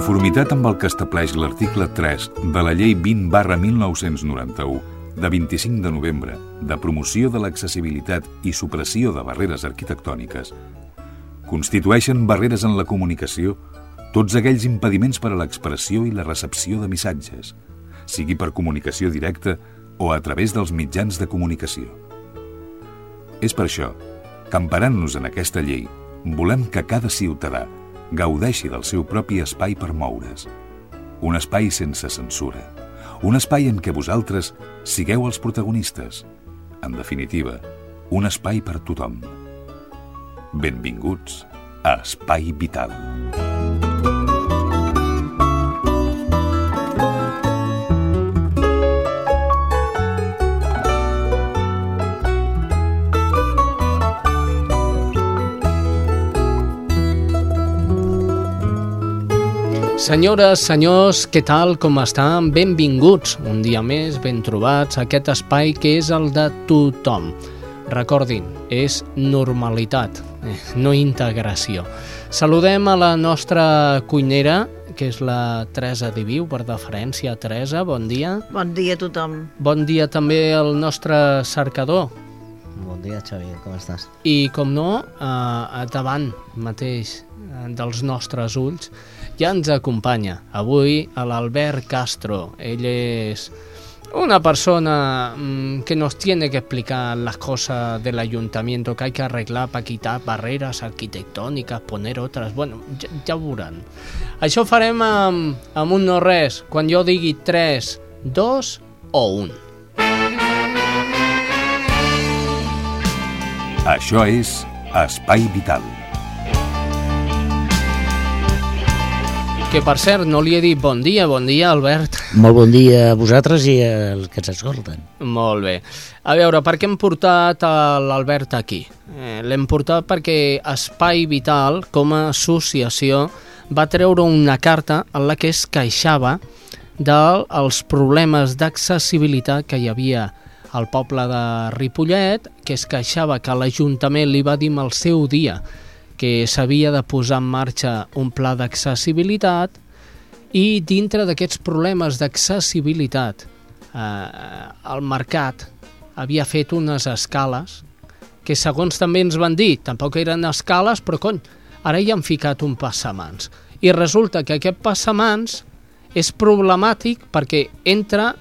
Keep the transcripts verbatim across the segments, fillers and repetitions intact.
conformitat amb el que estableix l'article tres de la Llei vint barra mil nou-cents noranta-u de vint-i-cinc de novembre de promoció de l'accessibilitat i supressió de barreres arquitectòniques, constitueixen barreres en la comunicació tots aquells impediments per a l'expressió i la recepció de missatges, sigui per comunicació directa o a través dels mitjans de comunicació. És per això que, emparant-nos en aquesta llei, volem que cada ciutadà gaudeixi del seu propi espai per moure's. Un espai sense censura. Un espai en què vosaltres sigueu els protagonistes. En definitiva, un espai per tothom. Benvinguts a Espai Vital. Senyores, senyors, què tal, com estan? Benvinguts, un dia més, ben trobats, a aquest espai que és el de tothom. Recordin, és normalitat, no integració. Saludem a la nostra cuinera, que és la Teresa Diviu, per deferència. Teresa, bon dia. Bon dia a tothom. Bon dia també al nostre cercador. Bon dia, Xavi, com estàs? I, com no, eh, davant mateix dels nostres ulls, ja ens acompanya avui l'Albert Castro. Ell és una persona mmm, que nos tiene que explicar las cosas del ayuntamiento que hay que arreglar para quitar barreras arquitectónicas, poner otras. Bueno, ja, ja ho veuran. Això ho farem amb, amb un no res, quan jo digui tres, dos o un. Això és Espai Vital. Que, per cert, no li he dit bon dia. Bon dia, Albert. Molt bon dia a vosaltres i als que ens escolten. Molt bé. A veure, per què hem portat l'Albert aquí? Eh, l'hem portat perquè Espai Vital, com a associació, va treure una carta en la que es queixava dels problemes d'accessibilitat que hi havia al poble de Ripollet, que es queixava que l'Ajuntament li va dir al seu dia que s'havia de posar en marxa un pla d'accessibilitat, i dintre d'aquests problemes d'accessibilitat eh, el mercat havia fet unes escales que, segons també ens van dir, tampoc eren escales, però cony, ara hi han ficat un passamans. I resulta que aquest passamans és problemàtic perquè entra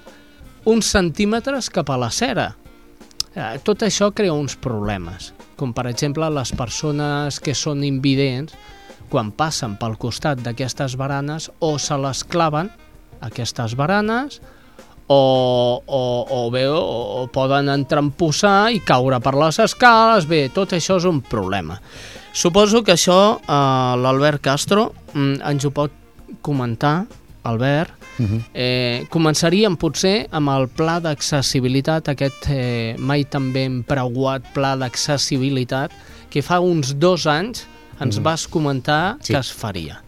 uns centímetres cap a la cera. Eh, tot això crea uns problemes, com per exemple les persones que són invidents, quan passen pel costat d'aquestes baranes, o se les claven aquestes baranes, o, o, o bé, o, o poden entrampussar i caure per les escales. Bé, tot això és un problema. Suposo que això eh, l'Albert Castro mm, ens ho pot comentar. Albert, uh-huh. eh, començaríem potser amb el pla d'accessibilitat, aquest eh, mai tan ben preuat pla d'accessibilitat que fa uns dos anys ens uh-huh. vas comentar sí. que es faria.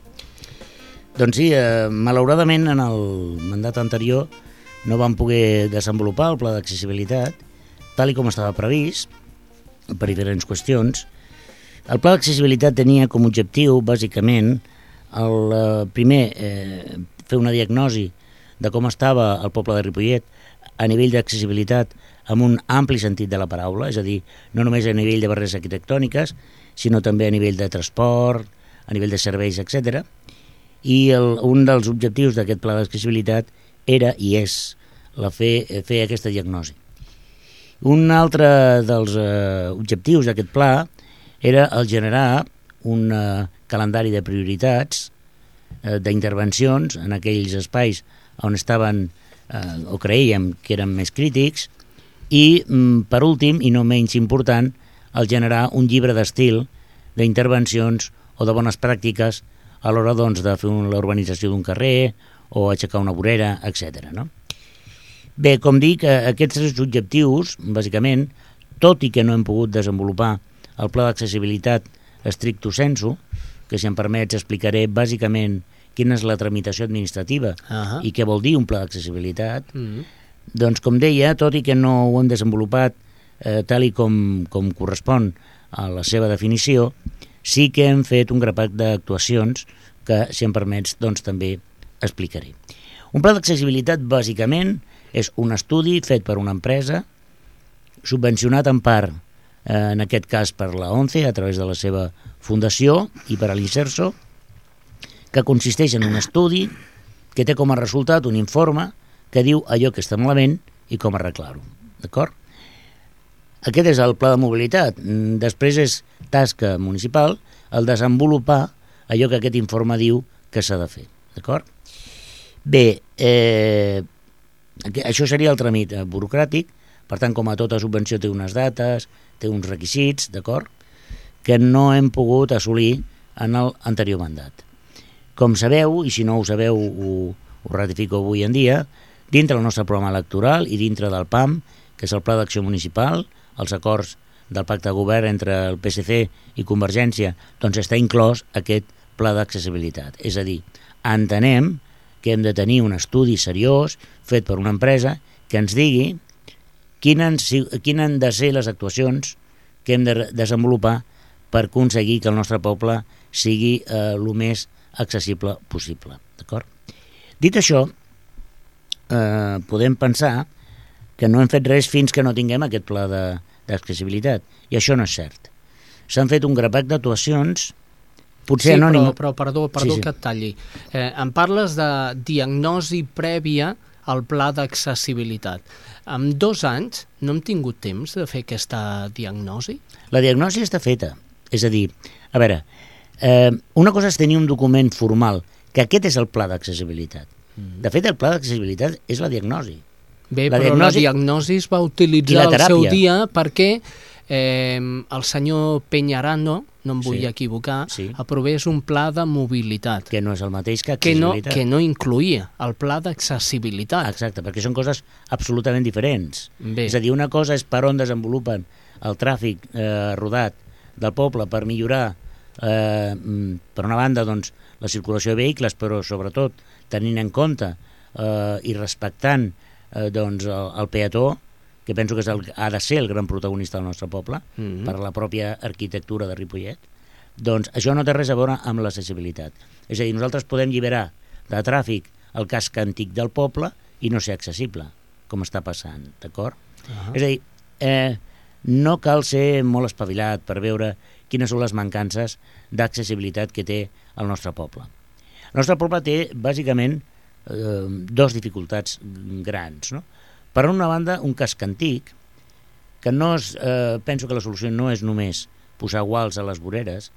Doncs sí, eh, malauradament en el mandat anterior no vam poder desenvolupar el pla d'accessibilitat tal i com estava previst per diferents qüestions. El pla d'accessibilitat tenia com a objectiu, bàsicament, el eh, primer eh, fer una diagnosi de com estava el poble de Ripollet a nivell d'accessibilitat amb un ampli sentit de la paraula, és a dir, no només a nivell de barreres arquitectòniques, sinó també a nivell de transport, a nivell de serveis, etcètera. I el, un dels objectius d'aquest pla d'accessibilitat era i és la fer, fer aquesta diagnosi. Un altre dels eh, objectius d'aquest pla era el generar un eh, calendari de prioritats d'intervencions en aquells espais on estaven eh, o creiem que eren més crítics, i per últim, i no menys important, el generar un llibre d'estil d'intervencions o de bones pràctiques a l'hora doncs, de fer la urbanització d'un carrer o aixecar una vorera, etcètera. No? Bé, com dic, aquests tres objectius, bàsicament, tot i que no hem pogut desenvolupar el pla d'accessibilitat stricto sensu, que si em permets explicaré bàsicament quina és la tramitació administrativa uh-huh. i què vol dir un pla d'accessibilitat, uh-huh. doncs com deia, tot i que no ho hem desenvolupat eh, tal i com, com correspon a la seva definició, sí que hem fet un grapat d'actuacions que, si em permets, doncs també explicaré. Un pla d'accessibilitat, bàsicament, és un estudi fet per una empresa, subvencionat en part, eh, en aquest cas per la ONCE, a través de la seva fundació, i per a l'Inserso, que consisteix en un estudi que té com a resultat un informe que diu allò que està malament i com arreglar-ho. D'acord? Aquest és el pla de mobilitat. Després és tasca municipal el desenvolupar allò que aquest informe diu que s'ha de fer. D'acord? Bé, eh, això seria el tràmit burocràtic. Per tant, com a tota subvenció té unes dates, té uns requisits, d'acord? Que no hem pogut assolir en l'anterior mandat. Com sabeu, i si no ho sabeu ho, ho ratifico avui en dia, dintre del nostre programa electoral i dintre del P A M, que és el Pla d'Acció Municipal, els acords del pacte de govern entre el P S C i Convergència, doncs està inclòs aquest pla d'accessibilitat. És a dir, entenem que hem de tenir un estudi seriós fet per una empresa que ens digui quines han de ser les actuacions que hem de desenvolupar per aconseguir que el nostre poble sigui eh, el més accessible possible. D'acord? Dit això, eh, podem pensar que no hem fet res fins que no tinguem aquest pla d'accessibilitat, i això no és cert. S'han fet un grapat d'actuacions, potser sí, anònim... però, però perdó, perdó sí, sí. que et talli. Eh, em parles de diagnosi prèvia al pla d'accessibilitat. En dos anys no hem tingut temps de fer aquesta diagnosi? La diagnosi està feta. És a dir, a veure, eh, una cosa és tenir un document formal, que aquest és el pla d'accessibilitat. Mm. De fet, el pla d'accessibilitat és la diagnosi. Bé, la però diagnosi... la diagnosi es va utilitzar al seu dia perquè eh, el senyor Peñarano, no em vull sí, equivocar, sí. aprovés un pla de mobilitat. Que no és el mateix que que no, accessibilitat. que no incluïa el pla d'accessibilitat. Exacte, perquè són coses absolutament diferents. Bé. És a dir, una cosa és per on desenvolupen el tràfic eh, rodat del poble per millorar, eh, per una banda, doncs, la circulació de vehicles, però sobretot tenint en compte eh, i respectant eh, doncs, el, el peató, que penso que és el, ha de ser el gran protagonista del nostre poble, mm-hmm. per la pròpia arquitectura de Ripollet, doncs això no té res a veure amb l'accessibilitat. És a dir, nosaltres podem alliberar de tràfic el casc antic del poble i no ser accessible, com està passant, d'acord? Uh-huh. És a dir, eh, no cal ser molt espavilat per veure quines són les mancances d'accessibilitat que té el nostre poble. El nostre poble té, bàsicament, eh, dos dificultats grans, no? Per una banda, un casc antic, que no és, eh, penso que la solució no és només posar guals a les voreres,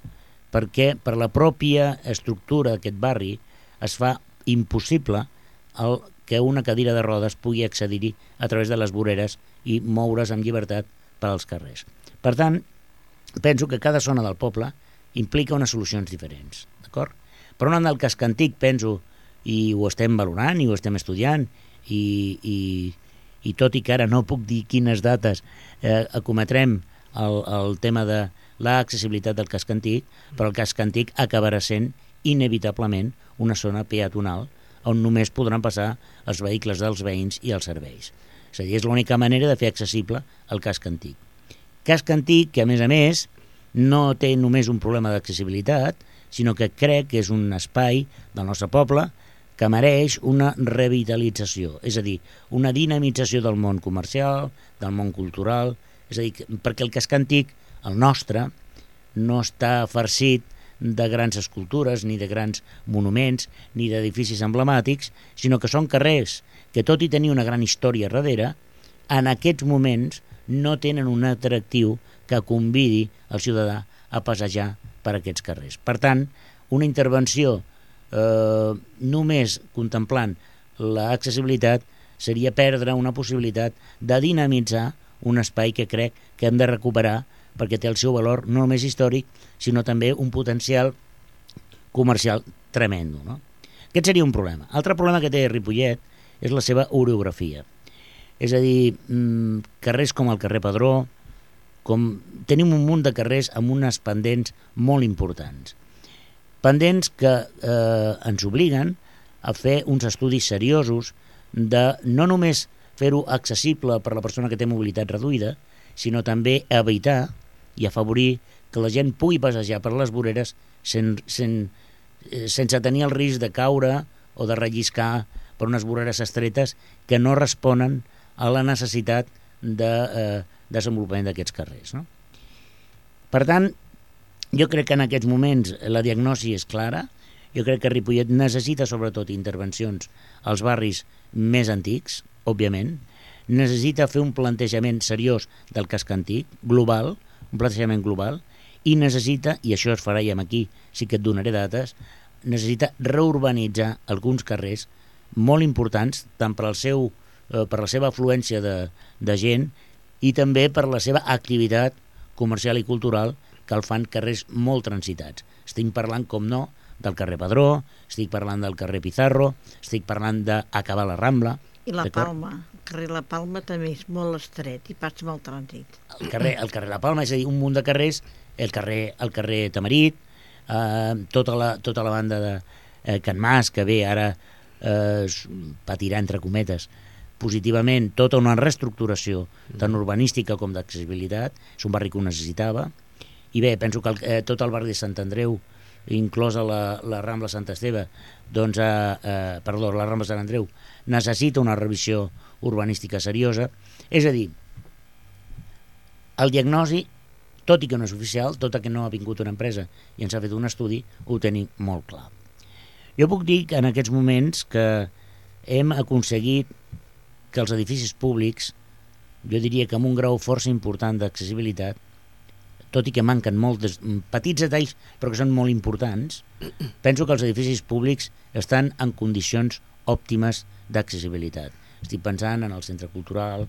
perquè per la pròpia estructura d'aquest barri es fa impossible el que una cadira de rodes pugui accedir-hi a través de les voreres i moure's amb llibertat per als carrers. Per tant, penso que cada zona del poble implica unes solucions diferents, d'acord? Per una banda, el casc antic, penso, i ho estem valorant i ho estem estudiant, i, i, i tot i que ara no puc dir quines dates eh, acometrem el, el tema de l'accessibilitat del casc antic, però el casc antic acabarà sent inevitablement una zona peatonal on només podran passar els vehicles dels veïns i els serveis. És a dir, és l'única manera de fer accessible el casc antic. Casc antic que, a més a més, no té només un problema d'accessibilitat, sinó que crec que és un espai del nostre poble que mereix una revitalització, és a dir, una dinamització del món comercial, del món cultural, és a dir, perquè el casc antic, el nostre, no està farcit de grans escultures, ni de grans monuments, ni d'edificis emblemàtics, sinó que són carrers que, tot i tenir una gran història darrere, en aquests moments no tenen un atractiu que convidi el ciutadà a passejar per aquests carrers. Per tant, una intervenció eh, només contemplant l'accessibilitat seria perdre una possibilitat de dinamitzar un espai que crec que hem de recuperar perquè té el seu valor no només històric, sinó també un potencial comercial tremendo, no? Aquest seria un problema. Altre problema que té Ripollet és la seva orografia. És a dir, mmm, carrers com el carrer Padró, com tenim un munt de carrers amb unes pendents molt importants. Pendents que eh, ens obliguen a fer uns estudis seriosos de no només fer-ho accessible per la persona que té mobilitat reduïda, sinó també evitar i afavorir que la gent pugui passejar per les voreres sen, sen, eh, sense tenir el risc de caure o de relliscar per unes voreres estretes que no responen a la necessitat de eh, desenvolupament d'aquests carrers, no? Per tant, jo crec que en aquests moments la diagnosi és clara. Jo crec que Ripollet necessita sobretot intervencions als barris més antics, òbviament. Necessita fer un plantejament seriós del casc antic, global, un plantejament global, i necessita, i això es farà ja aquí, sí que et donaré dates, necessita reurbanitzar alguns carrers molt importants, tant per, al seu, eh, per la seva afluència de, de gent i també per la seva activitat comercial i cultural, que el fan carrers molt transitats. Estic parlant, com no, del carrer Padró, estic parlant del carrer Pizarro, estic parlant d'acabar la Rambla. I la Palma, el carrer La Palma també és molt estret i passa molt trànsit. El carrer, el carrer La Palma, és a dir, un munt de carrers, el carrer, el carrer Tamarit, eh, tota, la, tota la banda de eh, Can Mas, que bé, ara eh, patirà, entre cometes, positivament tota una reestructuració tant urbanística com d'accessibilitat, és un barri que ho necessitava, i bé, penso que el, eh, tot el barri de Sant Andreu, inclosa la, la Rambla Sant Esteve, doncs, eh, eh, perdó, la Rambla Sant Andreu, necessita una revisió urbanística seriosa. És a dir, el diagnosi, tot i que no és oficial, tot i que no ha vingut una empresa i ens ha fet un estudi, ho tenim molt clar. Jo puc dir que en aquests moments que hem aconseguit que els edificis públics, jo diria que amb un grau força important d'accessibilitat, tot i que manquen molts petits detalls, però que són molt importants, penso que els edificis públics estan en condicions òptimes d'accessibilitat. Estic pensant en el centre cultural,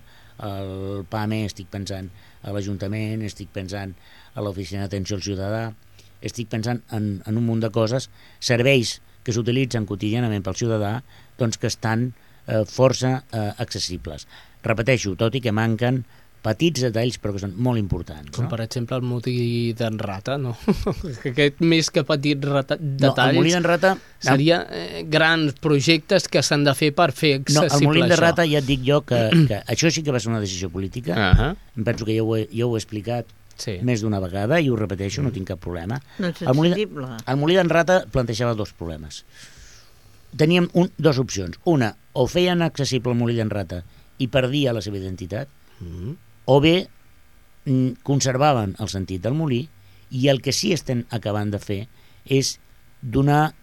el P A M E, estic pensant a l'Ajuntament, estic pensant a l'Oficina d'Atenció al Ciutadà, estic pensant en, en un munt de coses, serveis que s'utilitzen quotidianament pel ciutadà, doncs que estan eh, força eh, accessibles. Repeteixo, tot i que manquen petits detalls, però que són molt importants. Com, no? Per exemple, el molí d'en Rata, no? Aquest més que petits rata, detalls... No, el molí d'en Rata... Seria eh, grans projectes que s'han de fer per fer accessible això. No, el molí d'en Rata ja et dic jo que, que això sí que va ser una decisió política. Uh -huh. Em penso que ja ho he, ja ho he explicat sí. més d'una vegada i ho repeteixo, mm. no tinc cap problema. No és el molí, accessible. El molí d'en Rata plantejava dos problemes. Teníem un, dos opcions. Una, o feien accessible el molí d'en Rata i perdia la seva identitat, mm. o bé conservaven el sentit del molí, i el que sí estem acabant de fer és donar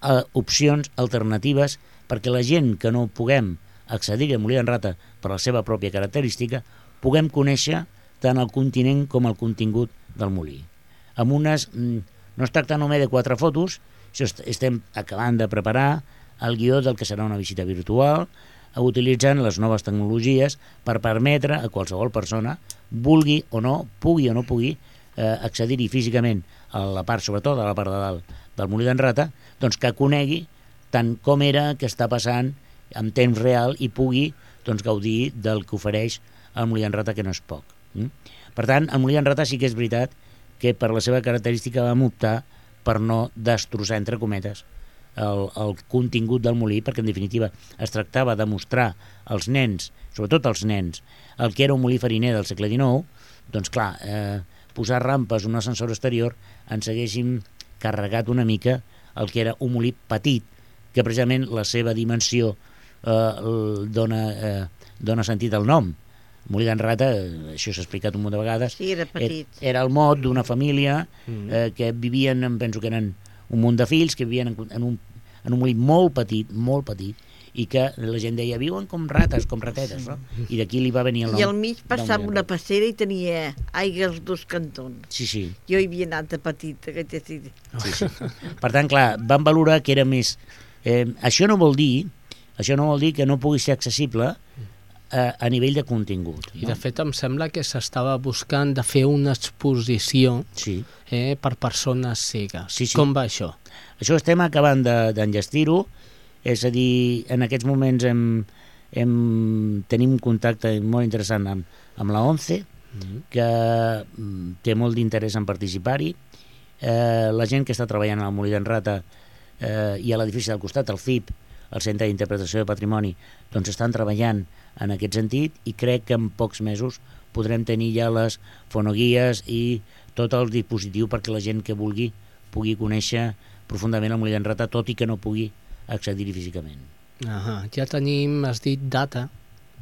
eh, opcions alternatives perquè la gent que no puguem accedir al molí d'en Rata per la seva pròpia característica puguem conèixer tant el continent com el contingut del molí. Amb unes, no es tracta només de quatre fotos, estem acabant de preparar el guió del que serà una visita virtual, utilitzant les noves tecnologies per permetre a qualsevol persona, vulgui o no, pugui o no pugui, eh, accedir-hi físicament a la part, sobretot a la part de dalt del molí d'en Rata, doncs que conegui tant com era, que està passant en temps real i pugui doncs, gaudir del que ofereix el molí d'en Rata, que no és poc. Mm? Per tant, el molí d'en Rata sí que és veritat que per la seva característica vam optar per no destrossar, entre cometes, El, el contingut del molí, perquè en definitiva es tractava de mostrar als nens, sobretot als nens, el que era un molí fariner del segle dinou. Doncs clar, eh, posar rampes, un ascensor exterior, ens haguéssim carregat una mica el que era un molí petit, que precisament la seva dimensió eh, dona, eh, dona sentit al nom. El molí d'en Rata, això s'ha explicat un munt de vegades, sí, era petit. Era el mot d'una família eh, que vivien, em penso que eren un munt de fills que vivien en, en, un, en un molí molt petit, molt petit, i que la gent deia, viuen com rates, com ratetes, no? I d'aquí li va venir el nom. I al mig passava una passera i tenia aigua als dos cantons. Sí, sí. Jo hi havia anat de petita. Que sí. Sí, sí. Per tant, clar, van valorar que era més... Eh, això no vol dir això no vol dir que no pugui ser accessible a, a nivell de contingut. I no? De fet em sembla que s'estava buscant de fer una exposició sí. eh, per persones cegues. Sí, sí. Com va això? Això estem acabant d'enllestir-ho, és a dir, en aquests moments hem, hem, tenim un contacte molt interessant amb, amb la ONCE, mm-hmm. que té molt d'interès en participar-hi. Eh, la gent que està treballant al molí d'en Rata eh, i a l'edifici del costat, el C I P, el Centre d'Interpretació de Patrimoni, doncs estan treballant en aquest sentit i crec que en pocs mesos podrem tenir ja les fonoguies i tot el dispositiu perquè la gent que vulgui pugui conèixer profundament al Molí d'en Rata, tot i que no pugui accedir-hi físicament. Ah, ja tenim, has dit, data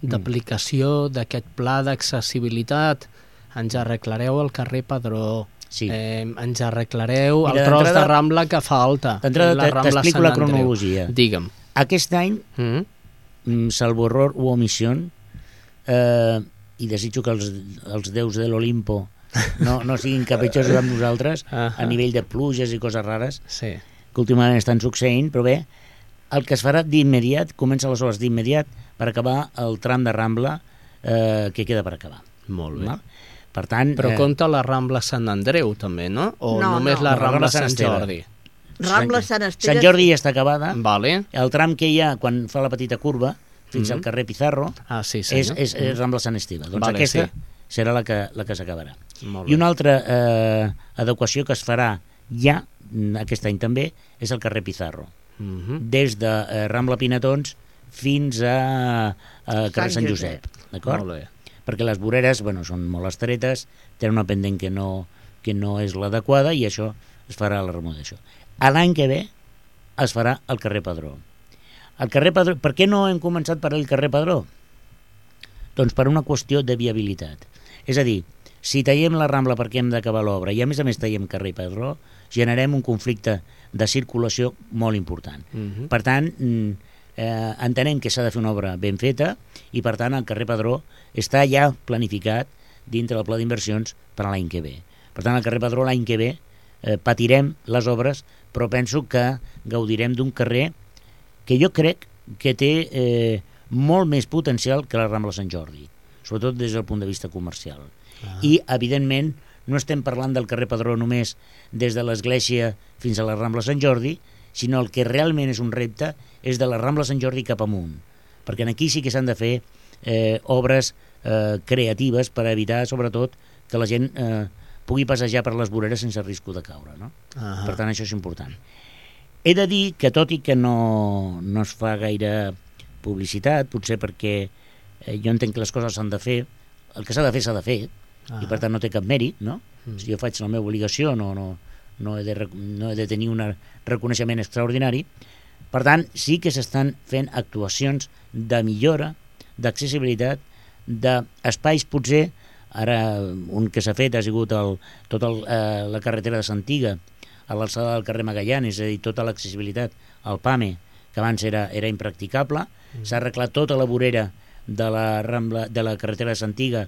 d'aplicació d'aquest pla d'accessibilitat. Ens arreglareu el carrer Padró. Sí. Eh, ens arreglareu Mira, el tros de d'entrada- Rambla que falta. D'entrada la te- Rambla t'explico Sant la Andreu. cronologia. Digue'm. Aquest any, Mm? mm, salvo error u omissió, eh, i desitjo que els, els déus de l'Olimpo no, no siguin capritxosos amb nosaltres Ahà. a nivell de pluges i coses rares Sí. que últimament estan succeint, però bé, el que es farà d'immediat, comença les obres d'immediat per acabar el tram de Rambla eh, que queda per acabar. Molt bé. Val? Per tant, Però eh, compta la Rambla Sant Andreu, també, no? O No, només no. la No, la Rambla Rambla Sant Sant Esteve. Jordi? Rambla Sant Esteve... Sant Jordi ja està acabada. Vale. El tram que hi ha quan fa la petita curva fins Mhm. al carrer Pizarro Ah, sí, és, senyor. és, és Rambla Sant Esteve. Doncs Vale, aquesta sí. serà la que, la que s'acabarà. Molt I una bé. altra eh, adequació que es farà ja, mm, aquest any també, és el carrer Pizarro. Mhm. Des de eh, Rambla Pinatons fins a, a carrer Sant Sant Josep. D'acord? Molt bé. Perquè les voreres bueno, són molt estretes, tenen una pendent que no, que no és l'adequada i això es farà la remodelació. A l'any que ve es farà el carrer Padró. El carrer Padró. Per què no hem començat per el carrer Padró? Doncs per una qüestió de viabilitat. És a dir, si tallem la Rambla perquè hem d'acabar l'obra i a més a més tallem carrer Padró, generem un conflicte de circulació molt important. Mhm. Per tant, mm, eh, entenem que s'ha de fer una obra ben feta i per tant el carrer Padró està ja planificat dintre del pla d'inversions per a l'any que ve. Per tant, el carrer Padró l'any que ve eh, patirem les obres, però penso que gaudirem d'un carrer que jo crec que té eh, molt més potencial que la Rambla Sant Jordi, sobretot des del punt de vista comercial. Ah. I, evidentment, no estem parlant del carrer Padró només des de l'església fins a la Rambla Sant Jordi, sinó el que realment és un repte és de la Rambla Sant Jordi cap amunt, perquè aquí sí que s'han de fer eh, obres eh, creatives per evitar, sobretot, que la gent eh, pugui passejar per les voreres sense risc de caure, no? Ah. Per tant, això és important. He de dir que, tot i que no, no es fa gaire publicitat, potser perquè eh, jo entenc que les coses s'han de fer, el que s'ha de fer s'ha de fer, Ah. i per tant no té cap mèrit, no? Mm. Si jo faig la meva obligació no, no, no, he de, rec- no he de tenir un reconeixement extraordinari. Per tant, sí que s'estan fent actuacions de millora, d'accessibilitat, d'espais potser, ara un que s'ha fet ha sigut el, tot el, eh, la carretera de Santiga, a l'alçada del carrer Magallanes, és a dir, tota l'accessibilitat al PAME, que abans era, era impracticable, mm. s'ha arreglat tota la vorera de la, Rambla, de la carretera de Santiga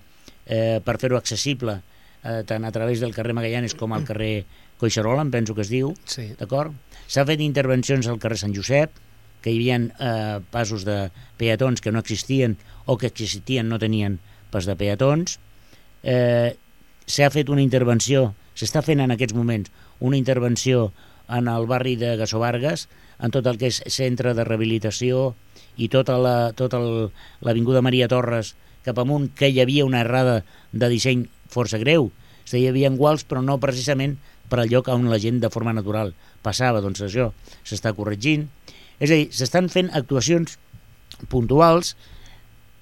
eh, per fer-ho accessible eh, tant a través del carrer Magallanes com al carrer Collserola, em penso que es diu, Sí. d'acord? S'ha fet intervencions al carrer Sant Josep, que hi havia eh, passos de peatons que no existien o que existien no tenien pas de peatons. Eh, s'ha fet una intervenció, s'està fent en aquests moments una intervenció en el barri de Gasovargas, en tot el que és centre de rehabilitació i tota la, tota l'avinguda Maria Torres cap amunt, que hi havia una errada de disseny força greu. És a dir, hi havia guals, però no precisament per al lloc on la gent de forma natural passava. Doncs això s'està corregint. És a dir, s'estan fent actuacions puntuals,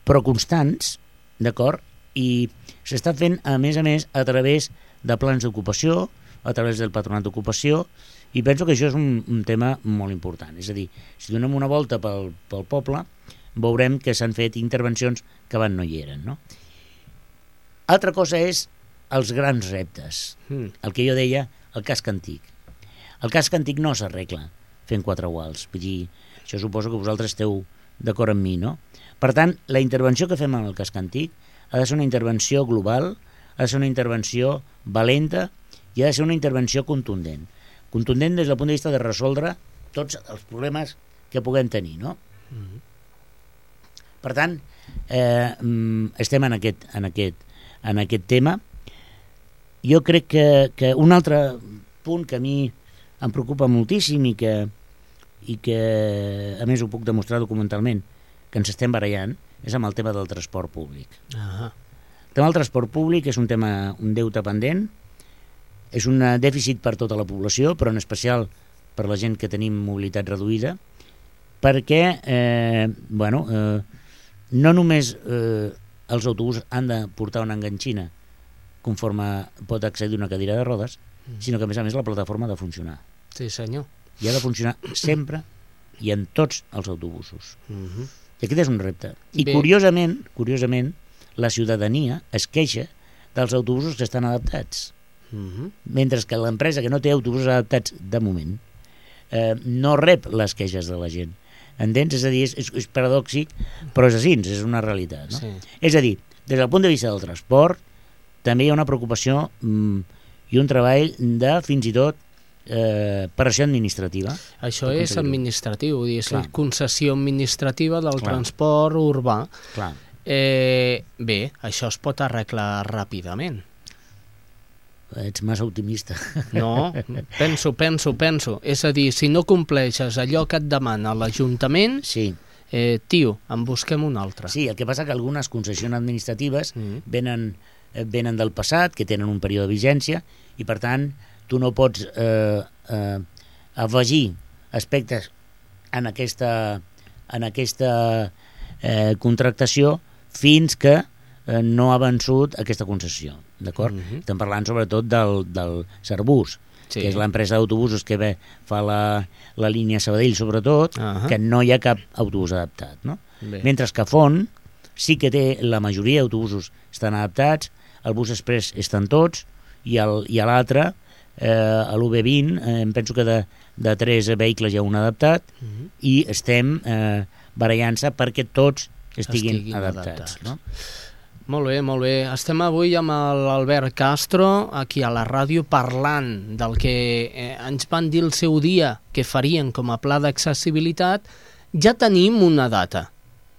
però constants, d'acord? I s'està fent, a més a més, a través de plans d'ocupació, a través del patronat d'ocupació, i penso que això és un, un tema molt important. És a dir, si donem una volta pel, pel poble, veurem que s'han fet intervencions que abans no hi eren, no? Altra cosa és els grans reptes, Mm. el que jo deia, el casc antic. El casc antic no s'arregla fent quatre guals, vull dir, això suposo que vosaltres esteu d'acord amb mi, no? Per tant, la intervenció que fem amb el casc antic ha de ser una intervenció global, ha de ser una intervenció valenta i ha de ser una intervenció contundent. Contundent des del punt de vista de resoldre tots els problemes que puguem tenir, no? Mm. Per tant, eh, estem en aquest, en aquest, en aquest tema. Jo crec que, que un altre punt que a mi em preocupa moltíssim i que, i que a més ho puc demostrar documentalment, que ens estem barallant, és amb el tema del transport públic. Ah. El tema del transport públic és un tema, un deute pendent, és un dèficit per tota la població, però en especial per la gent que tenim mobilitat reduïda, perquè eh, bueno, eh, no només eh, els autobusos han de portar una enganxina conforme pot accedir una cadira de rodes, sinó que a més a més la plataforma ha de funcionar. Sí, senyor. i ha de funcionar sempre i en tots els autobusos. Uh-huh. I aquest és un repte. I Bé. curiosament, curiosament, la ciutadania es queixa dels autobusos que estan adaptats. Uh-huh. Mentre que l'empresa que no té autobusos adaptats de moment eh, no rep les queixes de la gent. Entens? És a dir, és, és, és paradòxic, però és així, és una realitat. No? Sí. És a dir, des del punt de vista del transport, també hi ha una preocupació mm, i un treball de, fins i tot, eh, pressió administrativa. Això per és aconseguir-ho. administratiu, vull dir, és Clar. la concessió administrativa del Clar. transport urbà. Clar. Eh, bé, això es pot arreglar ràpidament. Ets massa optimista. No, penso, penso, penso. És a dir, si no compleixes allò que et demana l'Ajuntament, Sí. eh, tio, en busquem un altre. Sí, el que passa que algunes concessions administratives Mm. venen, eh, venen del passat, que tenen un període de vigència, i per tant tu no pots eh, eh, afegir aspectes en aquesta, en aquesta eh, contractació fins que eh, no ha vençut aquesta concessió, d'acord? Mhm. Estem parlant sobretot del, del Serbus, Sí. que és l'empresa d'autobusos que ve, fa la, la línia Sabadell sobretot, Ahà. que no hi ha cap autobús adaptat, no? Bé. Mentre que Font sí que té, la majoria d'autobusos estan adaptats, el bus express estan tots, i, el, i a l'altre, eh, a l'U B vint, eh, em penso que de, de tres vehicles hi ha un adaptat, Mhm. i estem eh, barallant-se perquè tots estiguin, Estiguin adaptats. adaptats. No? Molt bé, molt bé. Estem avui amb l'Albert Castro, aquí a la ràdio, parlant del que eh, ens van dir el seu dia que farien com a pla d'accessibilitat. Ja tenim una data,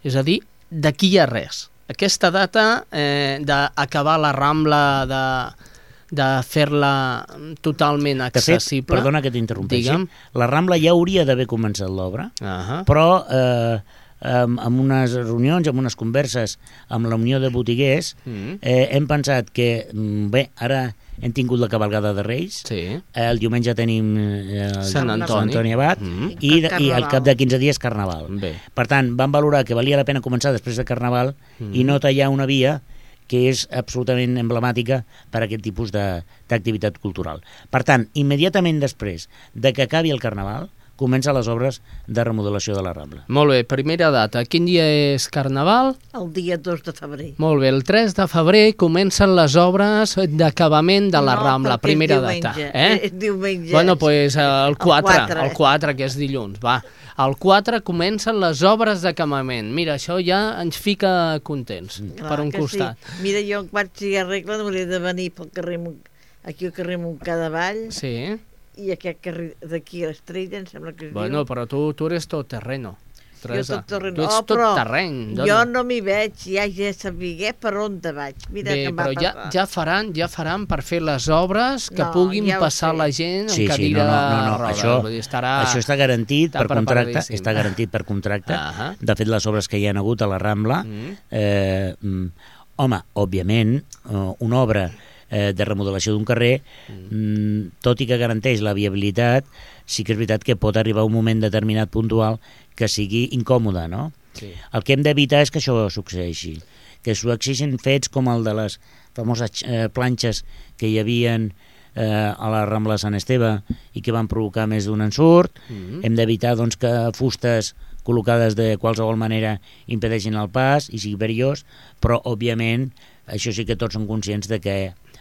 és a dir, d'aquí a res. Aquesta data eh, d'acabar la Rambla, de, de fer-la totalment De fet, accessible. perdona que t'interrompeixi, Digue'm. la Rambla ja hauria d'haver començat l'obra, Ahà. però eh, amb, amb unes reunions, amb unes converses amb la Unió de Botiguers, Mm. eh, hem pensat que, mm, bé, ara hem tingut la cabalgada de Reis, Sí. eh, el diumenge tenim eh, el Sant Antoni. Sant Antoni Abat, Mm. i, de, i al Carnaval. cap de quinze dies Carnaval. Bé. Per tant, vam valorar que valia la pena començar després de Carnaval Mm. i no tallar una via que és absolutament emblemàtica per a aquest tipus de- d'activitat cultural. Per tant, immediatament després de que acabi el Carnaval, comencen les obres de remodelació de la Rambla. Molt bé, primera data. Quin dia és Carnaval? El dia dos de febrer. Molt bé, el tres de febrer comencen les obres d'acabament de la No, Rambla, perquè primera és data. diumenge, Eh? és diumenge. Bueno, doncs pues, el quatre, quatre. el quatre, que és dilluns, va. El quatre comencen les obres d'acabament. Mira, això ja ens fica contents, Clar per un que costat. Sí. Mira, jo quan sigui arregla hauria de venir pel carrer, Mon- aquí al carrer Montcadavall, Sí, i aquest carrer d'aquí a l'Estrella, em sembla que es bueno, diu. però tu, tu eres tot terreno. Teresa. Jo tot terreny. Tu ets Oh, tot però terreny. Jo dona. no m'hi veig, ja he de saber per on te vaig. Mira Bé, que em va però ja, passar. ja faran ja faran per fer les obres que No, puguin ja ho passar sé. la gent en Sí, sí, cadira no, no, no, no. de rodes. Això, Vull dir, estarà... això està garantit està per contracte, preparadíssim. està garantit per contracte. Ahà. De fet, les obres que hi ha hagut a la Rambla, Mm. eh, mm, home, òbviament, eh, una obra eh, de remodelació d'un carrer, mm, tot i que garanteix la viabilitat, sí que és veritat que pot arribar un moment determinat puntual que sigui incòmode, no? Sí. El que hem d'evitar és que això succeeixi, que succeeixin fets com el de les famoses eh, planxes que hi havien eh, a la Rambla de Sant Esteve i que van provocar més d'un ensurt. Mm. Hem d'evitar doncs, que fustes col·locades de qualsevol manera impedeixin el pas i sigui perillós, però òbviament això sí que tots som conscients de que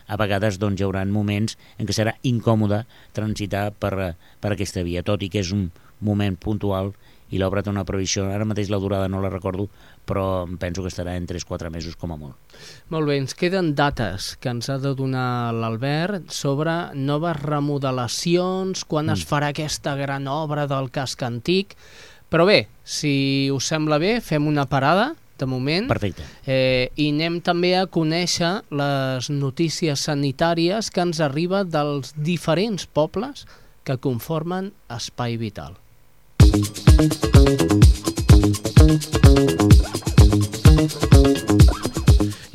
a vegades doncs, hi haurà moments en què serà incòmode transitar per, per aquesta via, tot i que és un moment puntual i l'obra té una previsió, ara mateix la durada no la recordo, però penso que estarà en tres quatre mesos com a molt. Molt bé, ens queden dates que ens ha de donar l'Albert sobre noves remodelacions, quan mm. es farà aquesta gran obra del casc antic. Però bé, si us sembla bé, fem una parada, de moment. Perfecte. Eh, I anem també a conèixer les notícies sanitàries que ens arriba dels diferents pobles que conformen Espai Vital.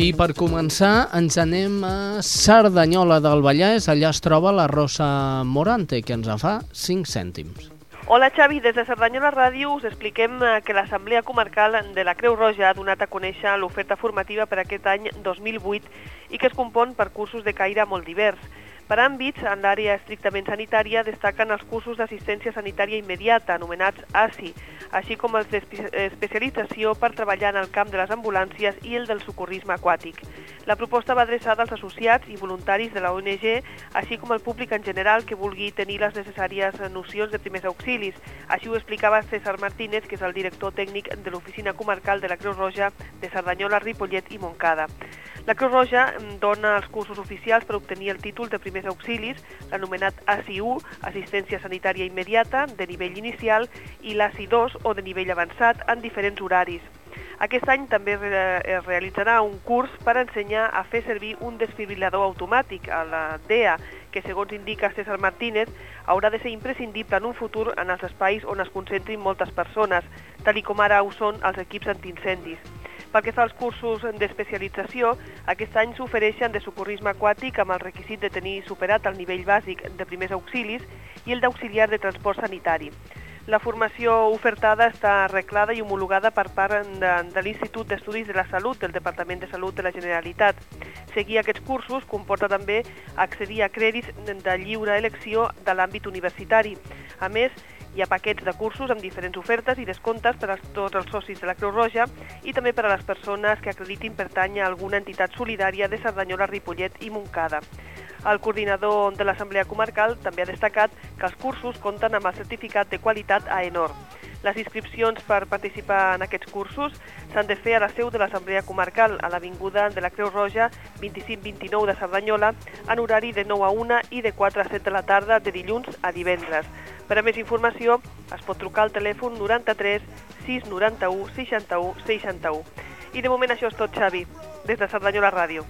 I per començar ens anem a Cerdanyola del Vallès, allà es troba la Rosa Morante, que ens en fa cinc cèntims. Hola Xavi, des de Cerdanyola Ràdio us expliquem que l'Assemblea Comarcal de la Creu Roja ha donat a conèixer l'oferta formativa per aquest any dos mil vuit i que es compon per cursos de caire molt divers. Per àmbits, en l'àrea estrictament sanitària destaquen els cursos d'assistència sanitària immediata, anomenats A S I, així com els d'especialització per treballar en el camp de les ambulàncies i el del socorrisme aquàtic. La proposta va adreçada als associats i voluntaris de la O N G, així com al públic en general que vulgui tenir les necessàries nocions de primers auxilis. Així ho explicava César Martínez, que és el director tècnic de l'Oficina Comarcal de la Creu Roja de Cerdanyola, Ripollet i Montcada. La Creu Roja dona els cursos oficials per obtenir el títol de primers auxilis, l'anomenat A S I u, Assistència Sanitària Immediata, de nivell inicial, i l'A S I dos, o de nivell avançat, en diferents horaris. Aquest any també es realitzarà un curs per ensenyar a fer servir un desfibrilador automàtic, a la D E A, que segons indica César Martínez, haurà de ser imprescindible en un futur en els espais on es concentrin moltes persones, tal com ara ho són els equips antiincendis. Pel que fa als cursos d'especialització, aquest any s'ofereixen de socorrisme aquàtic amb el requisit de tenir superat el nivell bàsic de primers auxilis i el d'auxiliar de transport sanitari. La formació ofertada està arreglada i homologada per part de, de l'Institut d'Estudis de la Salut del Departament de Salut de la Generalitat. Seguir aquests cursos comporta també accedir a crèdits de lliure elecció de l'àmbit universitari. A més, hi ha paquets de cursos amb diferents ofertes i descomptes per a tots els socis de la Creu Roja i també per a les persones que acreditin pertany a alguna entitat solidària de Cerdanyola, Ripollet i Montcada. El coordinador de l'Assemblea Comarcal també ha destacat que els cursos compten amb el certificat de qualitat AENOR. Les inscripcions per participar en aquests cursos s'han de fer a la seu de l'Assemblea Comarcal, a l'Avinguda de la Creu Roja vint-i-cinc vint-i-nou de Cerdanyola, en horari de nou a una i de quatre a set de la tarda de dilluns a divendres. Per a més informació es pot trucar al telèfon noranta-tres sis noranta-u seixanta-u seixanta-u. I de moment això és tot, Xavi, des de Cerdanyola Ràdio.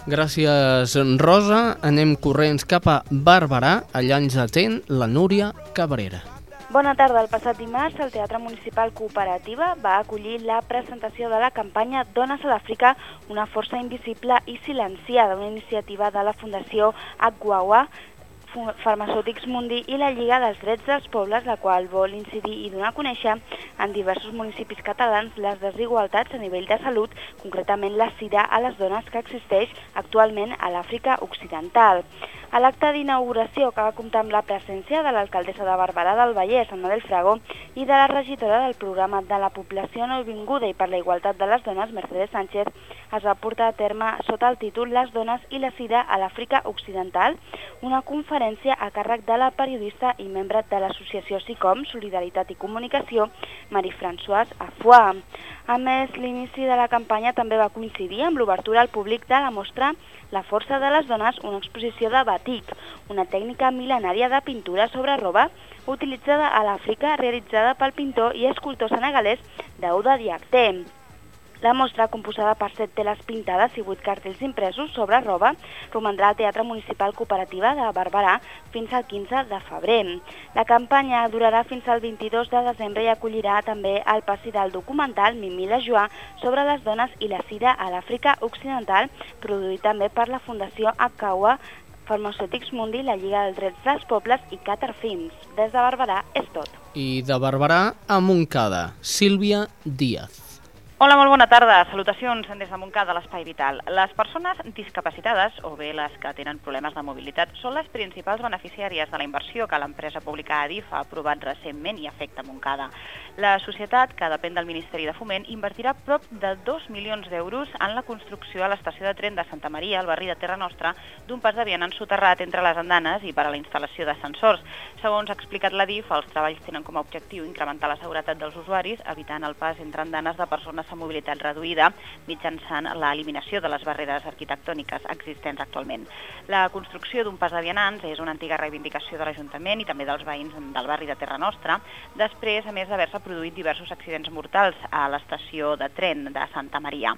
Gràcies, Rosa. Anem corrents cap a Barberà. Allà ens atén la Núria Cabrera. Bona tarda. El passat dimarts, el Teatre Municipal Cooperativa va acollir la presentació de la campanya Dones a l'Àfrica, una força invisible i silenciada, una iniciativa de la Fundació Agwawa, Farmacèutics Mundi i la Lliga dels Drets dels Pobles, la qual vol incidir i donar a conèixer en diversos municipis catalans les desigualtats a nivell de salut, concretament la sida a les dones que existeix actualment a l'Àfrica Occidental. A l'acte d'inauguració, que va comptar amb la presència de l'alcaldessa de Barberà del Vallès, Anna del Frago, i de la regidora del programa de la població nouvinguda i per la igualtat de les dones, Mercedes Sánchez, es va portar a terme sota el títol Les dones i la sida a l'Àfrica Occidental, una conferència a càrrec de la periodista i membre de l'associació SICOM, Solidaritat i Comunicació, Marie-Françoise Afoix. A més, l'inici de la campanya també va coincidir amb l'obertura al públic de la mostra La força de les dones, una exposició de batik, una tècnica mil·lenària de pintura sobre roba utilitzada a l'Àfrica, realitzada pel pintor i escultor senegalès Daouda Diakité. La mostra, composada per set teles pintades i vuit cartells impresos sobre roba, romandrà al Teatre Municipal Cooperativa de Barberà fins al quinze de febrer. La campanya durarà fins al vint-i-dos de desembre i acollirà també el passi del documental Mimi la Joie sobre les dones i la sida a l'Àfrica Occidental, produït també per la Fundació Agwawa, Farmacèutics Mundi, la Lliga dels Drets dels Pobles i Qatar Films. Des de Barberà és tot. I de Barberà a Montcada, Sílvia Díaz. Hola, molt bona tarda. Salutacions des de Montcada, l'Espai Vital. Les persones discapacitades, o bé les que tenen problemes de mobilitat, són les principals beneficiàries de la inversió que l'empresa pública Adif ha aprovat recentment i afecta Montcada. La societat, que depèn del Ministeri de Foment, invertirà prop de dos milions d'euros en la construcció a l'estació de tren de Santa Maria, al barri de Terra Nostra, d'un pas de vianant soterrat entre les andanes i per a la instal·lació d'ascensors. Segons ha explicat l'Adif, els treballs tenen com a objectiu incrementar la seguretat dels usuaris, evitant el pas entre andanes de persones amb mobilitat reduïda mitjançant l'eliminació de les barreres arquitectòniques existents actualment. La construcció d'un pas de vianants és una antiga reivindicació de l'Ajuntament i també dels veïns del barri de Terra Nostra, després, a més d'haver-se produït diversos accidents mortals a l'estació de tren de Santa Maria.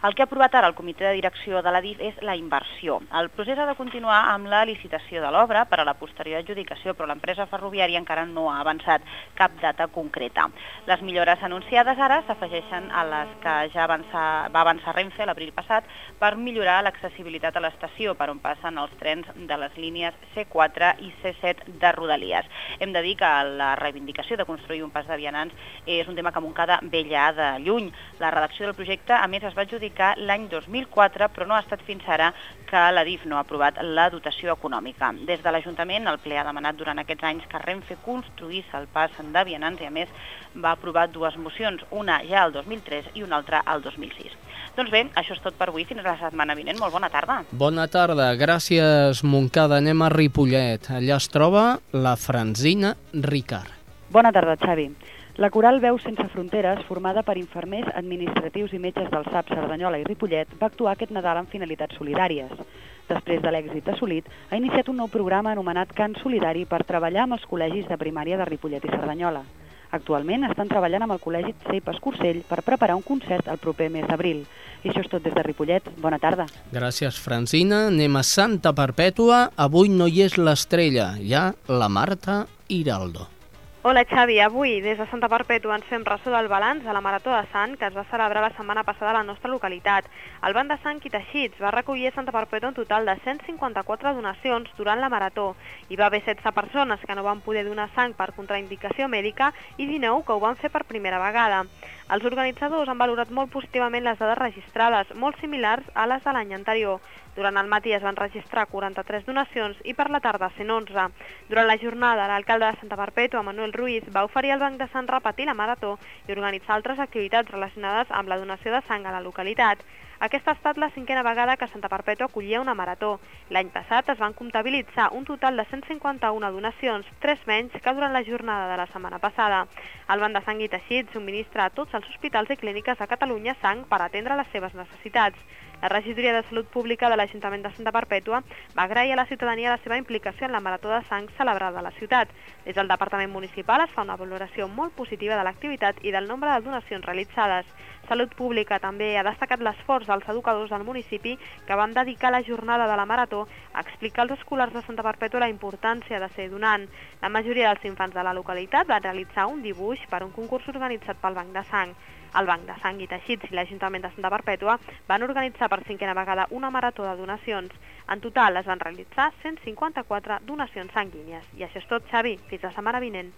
El que ha aprovat ara el comitè de direcció de l'Adif és la inversió. El procés ha de continuar amb la licitació de l'obra per a la posterior adjudicació, però l'empresa ferroviària encara no ha avançat cap data concreta. Les millores anunciades ara s'afegeixen a la les que ja avançar, va avançar Renfe l'abril passat per millorar l'accessibilitat a l'estació per on passen els trens de les línies C quatre i C set de Rodalies. Hem de dir que la reivindicació de construir un pas de vianants és un tema que Montcada ve ja de lluny. La redacció del projecte, a més, es va adjudicar l'any dos mil quatre, però no ha estat fins ara que l'A D I F no ha aprovat la dotació econòmica. Des de l'Ajuntament, el ple ha demanat durant aquests anys que Renfe construís el pas de vianants i, a més, va aprovar dues mocions, una ja el dos mil tres i una altra el dos mil sis. Doncs bé, això és tot per avui. Fins la setmana vinent. Molt bona tarda. Bona tarda. Gràcies, Montcada. Anem a Ripollet. Allà es troba la Francina Ricard. Bona tarda, Xavi. La Coral Veu Sense Fronteres, formada per infermers, administratius i metges del S A P Cerdanyola i Ripollet, va actuar aquest Nadal amb finalitats solidàries. Després de l'èxit assolit, ha iniciat un nou programa anomenat Cant Solidari per treballar amb els col·legis de primària de Ripollet i Cerdanyola. Actualment estan treballant amb el Col·legi C E P Escursell per preparar un concert el proper mes d'abril. I això és tot des de Ripollet. Bona tarda. Gràcies, Francina. Anem a Santa Perpètua. Avui no hi és l'estrella, hi ha la Marta Hiraldo. Hola Xavi, avui des de Santa Perpètua ens fem ressò del balanç de la Marató de Sang que es va celebrar la setmana passada a la nostra localitat. El Banc de Sang i Teixits va recollir a Santa Perpètua un total de cent cinquanta-quatre donacions durant la Marató. Hi va haver setze persones que no van poder donar sang per contraindicació mèdica i dinou que ho van fer per primera vegada. Els organitzadors han valorat molt positivament les dades registrades, molt similars a les de l'any anterior. Durant el matí es van registrar quaranta-tres donacions i per la tarda cent onze. Durant la jornada, l'alcalde de Santa Perpètua, Manuel Ruiz, va oferir al Banc de Sang repetir la Marató i organitzar altres activitats relacionades amb la donació de sang a la localitat. Aquesta ha estat la cinquena vegada que Santa Perpètua acollia una marató. L'any passat es van comptabilitzar un total de cent cinquanta-una donacions, tres menys que durant la jornada de la setmana passada. El Banc de Sang i Teixits subministra a tots els hospitals i clíniques de Catalunya sang per atendre les seves necessitats. La regidoria de Salut Pública de l'Ajuntament de Santa Perpètua va agrair a la ciutadania la seva implicació en la Marató de Sang celebrada a la ciutat. Des del Departament Municipal es fa una valoració molt positiva de l'activitat i del nombre de donacions realitzades. Salut Pública també ha destacat l'esforç dels educadors del municipi que van dedicar la jornada de la Marató a explicar als escolars de Santa Perpètua la importància de ser donant. La majoria dels infants de la localitat van realitzar un dibuix per un concurs organitzat pel Banc de Sang. El Banc de Sang i Teixits i l'Ajuntament de Santa Perpètua van organitzar per cinquena vegada una marató de donacions. En total es van realitzar cent cinquanta-quatre donacions sanguínies. I això és tot, Xavi. Fins la setmana vinent.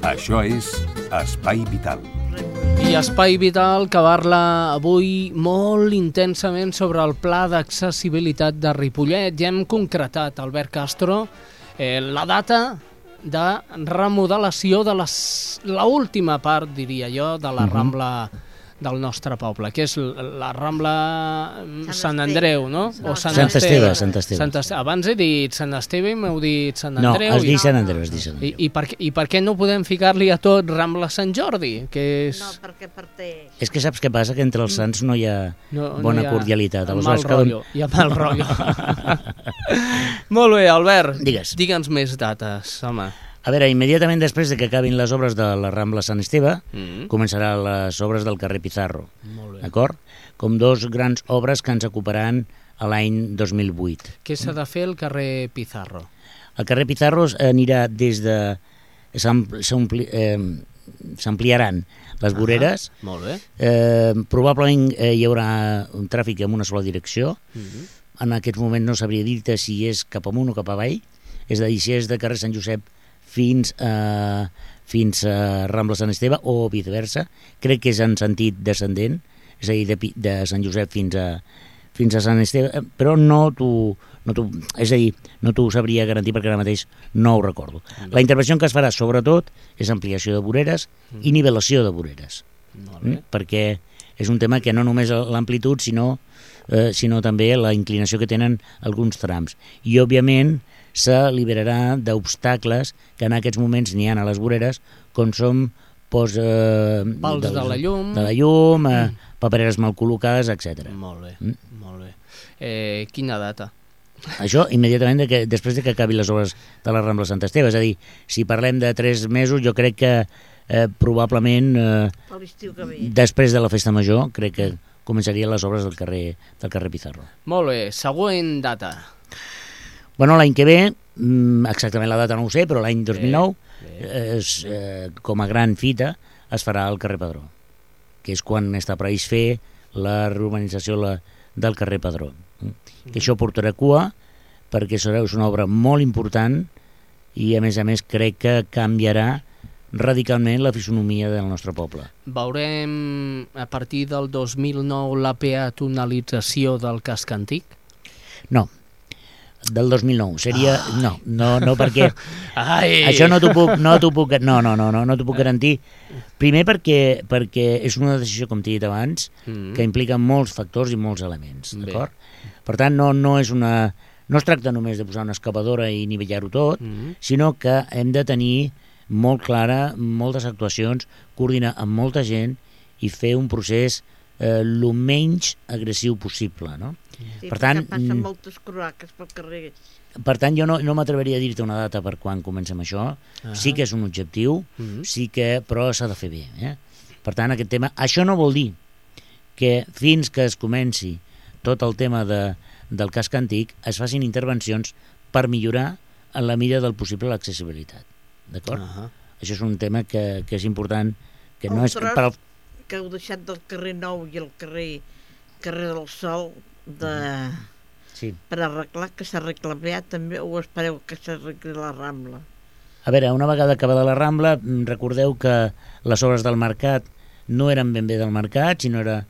Això és Espai Vital. I Espai Vital que parla avui molt intensament sobre el pla d'accessibilitat de Ripollet. Ja hem concretat, Albert Castro, eh, la data de remodelació de l'última part, diria jo, de la Rambla del nostre poble, que és la Rambla Sant Andreu, no? O Sant Esteve. Sant Esteve. Abans he dit Sant Esteve i m'heu dit Sant No, Andreu. has dit Sant Andreu, has dit Sant Andreu. I, i, per, què- I per què no podem ficar-li a tot Rambla Sant Jordi? Que és... No, perquè parteix. És que saps què passa? Que entre els sants no hi ha No, no bona hi ha cordialitat. mal Aleshores, cada un- rotllo, hi ha mal rotllo. Molt bé, Albert, Digues. digue'ns més dates, home. A veure, immediatament després de que acabin les obres de la Rambla Sant Esteve, Mm. començaran les obres del carrer Pizarro, Molt bé. d'acord? Com dos grans obres que ens ocuparan a l'any dos mil vuit. Què s'ha de fer al carrer Pizarro? El carrer Pizarro anirà des de... s'am- s'ampli- eh, S'ampliaran les voreres, Molt bé. eh, probablement eh, hi haurà un tràfic en una sola direcció. Mm. En aquest moment no sabria dir-te si és cap amunt o cap avall, és a dir, si és de carrer Sant Josep fins a, fins a Rambla Sant Esteve o viceversa. Crec que és en sentit descendent, és a dir, de, Pi- de Sant Josep fins a, fins a Sant Esteve, eh, però no t'ho no t'ho- és a dir, no t'ho sabria garantir perquè ara mateix no ho recordo. La intervenció que es farà sobretot és ampliació de voreres i nivelació de voreres, Molt bé. mm? perquè és un tema que no només l'amplitud sinó, eh, sinó també la inclinació que tenen alguns trams. I òbviament s'alliberarà d'obstacles que en aquests moments n'hi ha a les voreres, com són pos, eh, Pals dels- de la llum. de la llum eh, papereres mal col·locades, etcètera. Molt bé, Mm. molt bé. Eh, quina data? Això immediatament de que, després de que acabin les obres de la Rambla Sant Esteve. És a dir, si parlem de tres mesos, jo crec que eh, probablement eh, Per l'estiu que ve. després de la festa major crec que començarien les obres del carrer, del carrer Pizarro. Molt bé, següent data. Bueno, l'any que ve, exactament la data no ho sé, però l'any dos mil nou, és, eh, com a gran fita, es farà al carrer Padró, que és quan està previst fer la reurbanització la, del carrer Padró. Mm. Això portarà cua, perquè serà una obra molt important i, a més a més, crec que canviarà radicalment la fisonomia del nostre poble. Veurem a partir del dos mil nou la peatonalització del casc antic? No, del dos mil nou. Seria... Ah. No, no, no, perquè Ai. això no t'ho puc, no t'ho puc, no, no, no, no, no t'ho puc garantir. Primer perquè, perquè és una decisió, com t'he dit abans, mm. que implica molts factors i molts elements, d'acord? Per tant, no, no és una... No es tracta només de posar una excavadora i nivellar-ho tot, mm. sinó que hem de tenir molt clara moltes actuacions, coordinar amb molta gent i fer un procés eh, el menys agressiu possible, no? Sí, per tant, passen moltes croaques pel carrer. Per tant, jo no, no m'atreveria a dir-te una data per quan comencem això. Uh-huh. Sí que és un objectiu, uh-huh. sí que, però s'ha de fer bé. Eh? Per tant, aquest tema... Això no vol dir que fins que es comenci tot el tema de, del casc antic es facin intervencions per millorar en la mida del possible l'accessibilitat. D'acord? Uh-huh. Això és un tema que, que és important, que el no és... tros Per al... que heu deixat del carrer Nou i el carrer, carrer del Sol de... sí. per arreglar, que s'arregla bé també, o espereu que s'arregli la Rambla? A veure, una vegada acabada la Rambla, recordeu que les obres del mercat no eren ben bé del mercat, sinó era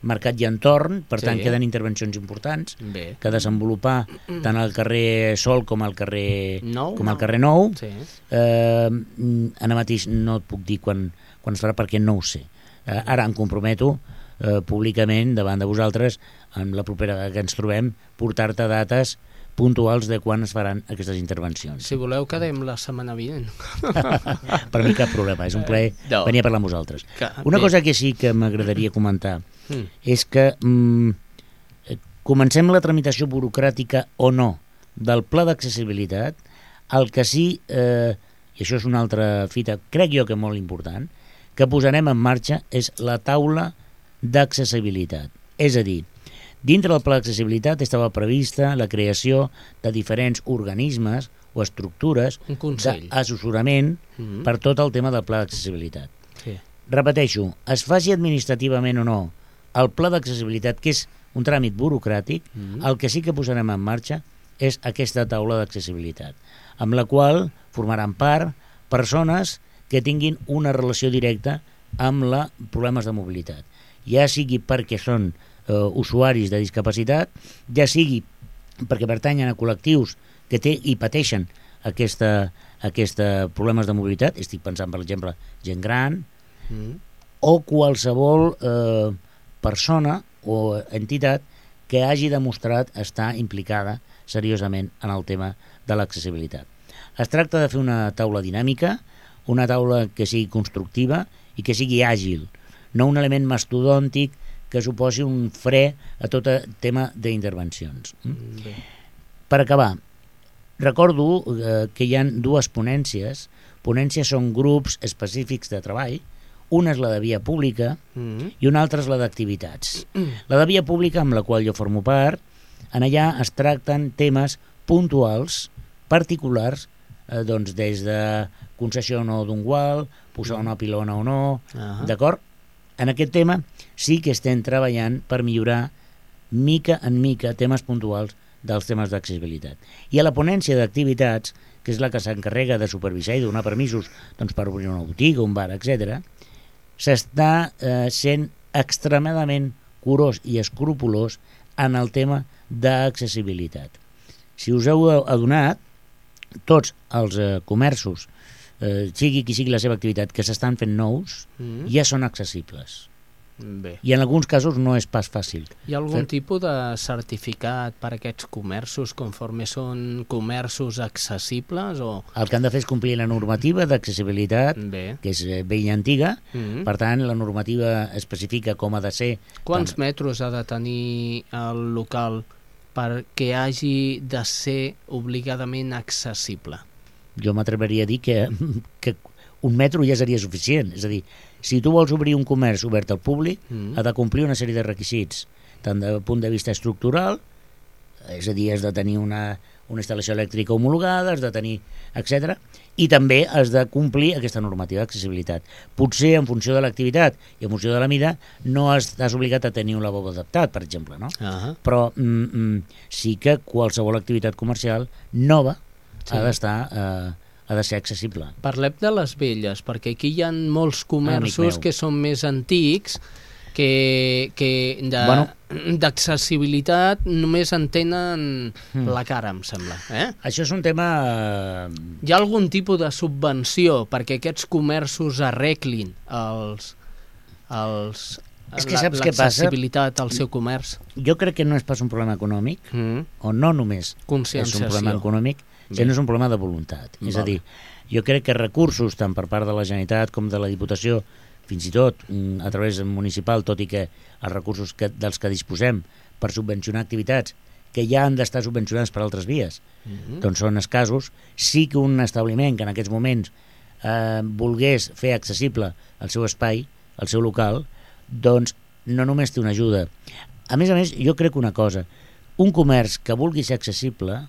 mercat i entorn, per sí. tant queden intervencions importants bé. que desenvolupar tant al carrer Sol com al carrer Nou, com al carrer Nou. Sí. Eh, ara mateix no et puc dir quan, quan es farà perquè no ho sé. Eh, ara em comprometo eh, públicament davant de vosaltres, en la propera que ens trobem, portar-te dates puntuals de quan es faran aquestes intervencions. Si voleu, quedem la setmana vinent. Per mi cap problema, és un plaer no. venir a parlar amb vosaltres. Que, Una bé. cosa que sí que m'agradaria comentar mm. és que mm, comencem la tramitació burocràtica o no del pla d'accessibilitat, el que sí, eh, i això és una altra fita, crec jo que molt important, que posarem en marxa és la taula d'accessibilitat. És a dir, dintre del pla d'accessibilitat estava prevista la creació de diferents organismes o estructures d'assessorament mm-hmm. per tot el tema del pla d'accessibilitat. Sí. Repeteixo, es faci administrativament o no el pla d'accessibilitat, que és un tràmit burocràtic, mm-hmm. el que sí que posarem en marxa és aquesta taula d'accessibilitat, amb la qual formaran part persones que tinguin una relació directa amb la problemes de mobilitat, ja sigui perquè són Uh, usuaris de discapacitat, ja sigui perquè pertanyen a col·lectius que té i pateixen aquesta, aquesta problemes de mobilitat, estic pensant per exemple gent gran, mm. o qualsevol eh, persona o entitat que hagi demostrat estar implicada seriosament en el tema de l'accessibilitat. Es tracta de fer una taula dinàmica, una taula que sigui constructiva i que sigui àgil, no un element mastodòntic que suposi un fre a tot el tema d'intervencions. Mm. Per acabar, recordo eh, que hi ha dues ponències. Ponències són grups específics de treball. Una és la de via pública mm. i una altra és la d'activitats. Mm. La de via pública, amb la qual jo formo part, en allà es tracten temes puntuals, particulars, eh, doncs des de concessió o no d'un gual, posar una pilona o no, uh-huh. d'acord? En aquest tema sí que estem treballant per millorar mica en mica temes puntuals dels temes d'accessibilitat. I a la ponència d'activitats, que és la que s'encarrega de supervisar i donar permisos doncs, per obrir una botiga, un bar, etcètera, s'està eh, sent extremadament curós i escrupolós en el tema d'accessibilitat. Si us heu adonat, tots els eh, comerços, eh, sigui qui sigui la seva activitat, que s'estan fent nous, mm. ja són accessibles. Bé. I en alguns casos no és pas fàcil. Hi ha algun Fer... tipus de certificat per a aquests comerços conforme són comerços accessibles? O... El que han de fer és complir la normativa d'accessibilitat, Bé. que és vella i antiga, mm-hmm. per tant la normativa especifica com ha de ser. Quants tant... metres ha de tenir el local perquè hagi de ser obligadament accessible? Jo m'atreveria a dir que, que un metro ja seria suficient, és a dir, si tu vols obrir un comerç obert al públic, mm. ha de complir una sèrie de requisits, tant del punt de vista estructural, és a dir, has de tenir una, una instal·lació elèctrica homologada, has de tenir, etcètera. I també has de complir aquesta normativa d'accessibilitat. Potser en funció de l'activitat i en funció de la mida no estàs obligat a tenir un lavabo adaptat, per exemple, no? Uh-huh. Però mm, mm, sí que qualsevol activitat comercial nova sí. ha d'estar... Eh, ha de ser accessible. Parlem de les velles, perquè aquí hi ha molts comerços que són més antics, que, que de, bueno, d'accessibilitat només en tenen mm. la cara, em sembla. Eh? Això és un tema... Hi ha algun tipus de subvenció perquè aquests comerços arreglin els, els, és que saps què passa? L'accessibilitat al seu comerç? Jo crec que no és pas un problema econòmic, mm. o no només és un problema econòmic, sinó és un problema de voluntat. Vale. És a dir, jo crec que recursos, tant per part de la Generalitat com de la Diputació, fins i tot a través municipal, tot i que els recursos que, dels que disposem per subvencionar activitats que ja han d'estar subvencionades per altres vies, mm-hmm. doncs són escassos. Sí que un establiment que en aquests moments eh, volgués fer accessible el seu espai, el seu local, doncs no només té una ajuda. A més a més, jo crec una cosa, un comerç que vulgui ser accessible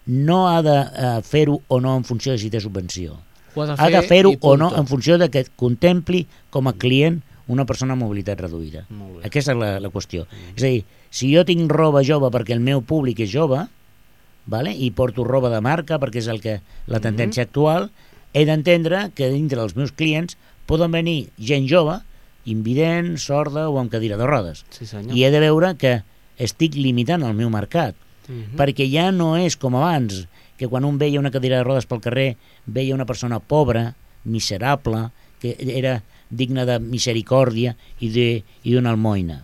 no ha de eh, fer-ho o no en funció de si té subvenció. Ha de, ha de fer-ho o no en funció de que contempli com a client una persona amb mobilitat reduïda. Aquesta és la, la qüestió. Mm. És a dir, si jo tinc roba jove perquè el meu públic és jove, vale? I porto roba de marca perquè és el que la tendència mm-hmm. actual, he d'entendre que dintre dels meus clients poden venir gent jove, invident, sorda o amb cadira de rodes. Sí, senyor. I he de veure que estic limitant el meu mercat. Uh-huh. Perquè ja no és com abans, que quan un veia una cadira de rodes pel carrer veia una persona pobra, miserable, que era digna de misericòrdia i d'una almoina,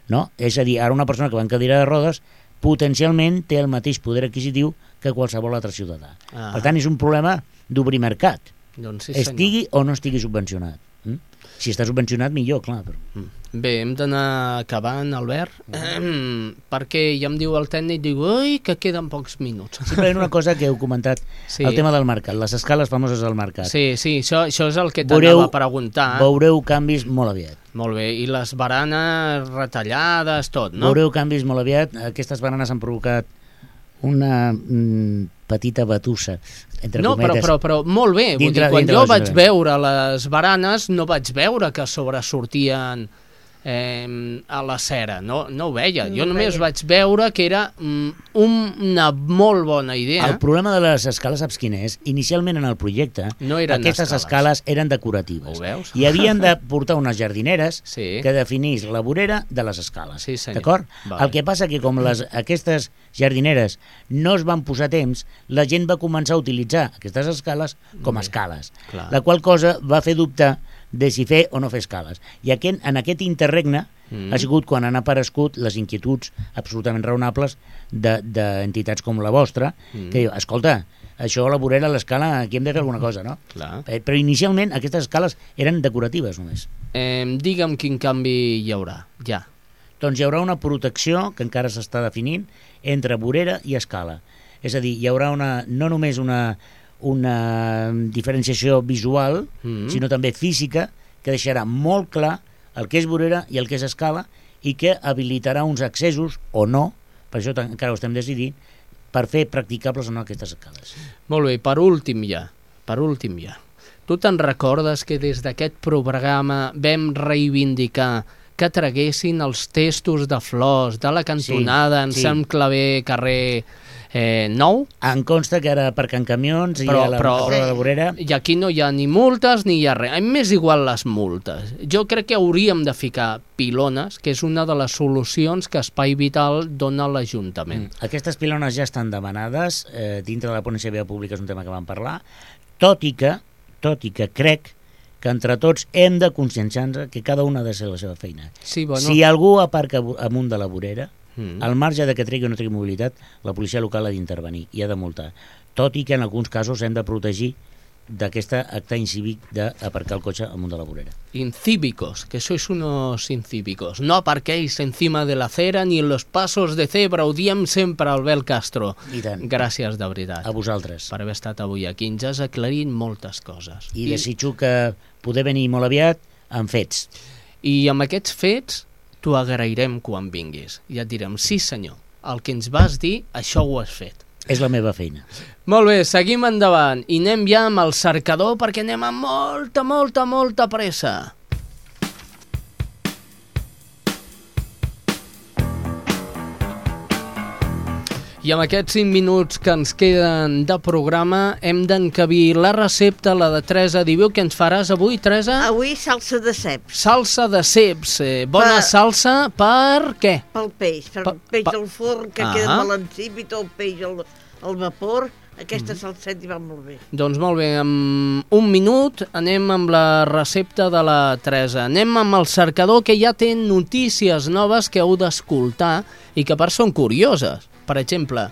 no? És a dir, ara una persona que va en cadira de rodes potencialment té el mateix poder adquisitiu que qualsevol altre ciutadà. Ah. Per tant, és un problema d'obrir mercat, doncs sí, estigui o no estigui subvencionat. Mm? Si està subvencionat, millor, clar. Però... Bé, hem d'anar acabant, Albert, mm. perquè ja em diu el tècnic, diu, ui, que queden pocs minuts. Simplement una cosa que heu comentat, sí. El tema del mercat, les escales famoses del mercat. Sí, sí, això, això és el que t'anava a preguntar. Veureu canvis molt aviat. Molt bé, i les baranes retallades, tot, no? Veureu canvis molt aviat, aquestes baranes han provocat una mm, petita batussa, entre no, cometes. No, però, però, però molt bé, vull dir, quan jo vaig veure les baranes no vaig veure que sobresortien eh, a la cera, no, no ho veia, no jo només veia. Vaig veure que era mm, una molt bona idea. El problema de les escales, saps quin és? Inicialment en el projecte, no aquestes escales. escales eren decoratives. Ho veus? I havien de portar unes jardineres sí. que definís la vorera de les escales. Sí, d'acord? Vale. El que passa que com les, aquestes jardineres no es van posar a temps, la gent va començar a utilitzar aquestes escales com a escales, Clar. La qual cosa va fer dubtar de si fer o no fer escales. I aquest, en aquest interregne mm. ha sigut quan han aparegut les inquietuds absolutament raonables d'entitats de, com la vostra, mm. que diu, escolta, això a la vorera, a l'escala, aquí hem de fer alguna cosa, no? Clar. Eh, però inicialment aquestes escales eren decoratives només. Eh, digue'm quin canvi hi haurà, ja. Doncs hi haurà una protecció, que encara s'està definint, entre vorera i escala. És a dir, hi haurà una, no només una... una diferenciació visual, mm-hmm. sinó també física, que deixarà molt clar el que és vorera i el que és escala i que habilitarà uns accessos o no, per això encara ho estem decidint, per fer practicables o no aquestes escales. Molt bé, per últim ja, per últim ja. Tu te'n recordes que des d'aquest programa vam reivindicar que traguessin els testos de flors de la cantonada sí, en sí. Sant Claver, carrer eh, nou? Em consta que era aparcant camions i però, a la però, de la vorera. I aquí no hi ha ni multes ni hi ha res. M'és igual les multes. Jo crec que hauríem de ficar pilones, que és una de les solucions que Espai Vital dona a l'Ajuntament. Mm. Aquestes pilones ja estan demanades, eh, dintre de la ponència de via pública és un tema que vam parlar, tot i que, tot i que crec que entre tots hem de conscienciar-nos que cada una ha de ser la seva feina. Sí, bueno. Si algú aparca amunt de la vorera, mm. al marge de que tregui o no tregui mobilitat, la policia local ha d'intervenir i ha de multar. Tot i que en alguns casos hem de protegir d'aquest acte incívic d'aparcar el cotxe amunt de la vorera. Incívicos, que sois unos incívicos. No aparquéis encima de la acera ni en los pasos de cebra, ho diem sempre al Albert Castro. I tant. Gràcies, de veritat. A vosaltres. Per haver estat avui aquí. Ens has aclarit moltes coses. I, I desitjo que poder venir molt aviat amb fets. I amb aquests fets t'ho agrairem quan vinguis. I et direm, sí senyor, el que ens vas dir, això ho has fet. És la meva feina. Molt bé, seguim endavant i anem ja amb el cercador perquè anem amb molta, molta, molta pressa. I amb aquests cinc minuts que ens queden de programa hem d'encabir la recepta, la de Teresa. Diu què ens faràs avui, Teresa? Avui salsa de ceps. Salsa de ceps. Eh, bona Per- salsa per què? Pel peix, per Pa- peix pa- al forn, que Ah. queda molt ensípid, o el peix al, al vapor. Aquesta salseta hi va molt bé. Doncs molt bé, en un minut anem amb la recepta de la Teresa. Anem amb el cercador, que ja té notícies noves que heu d'escoltar i que per són curioses. Per exemple,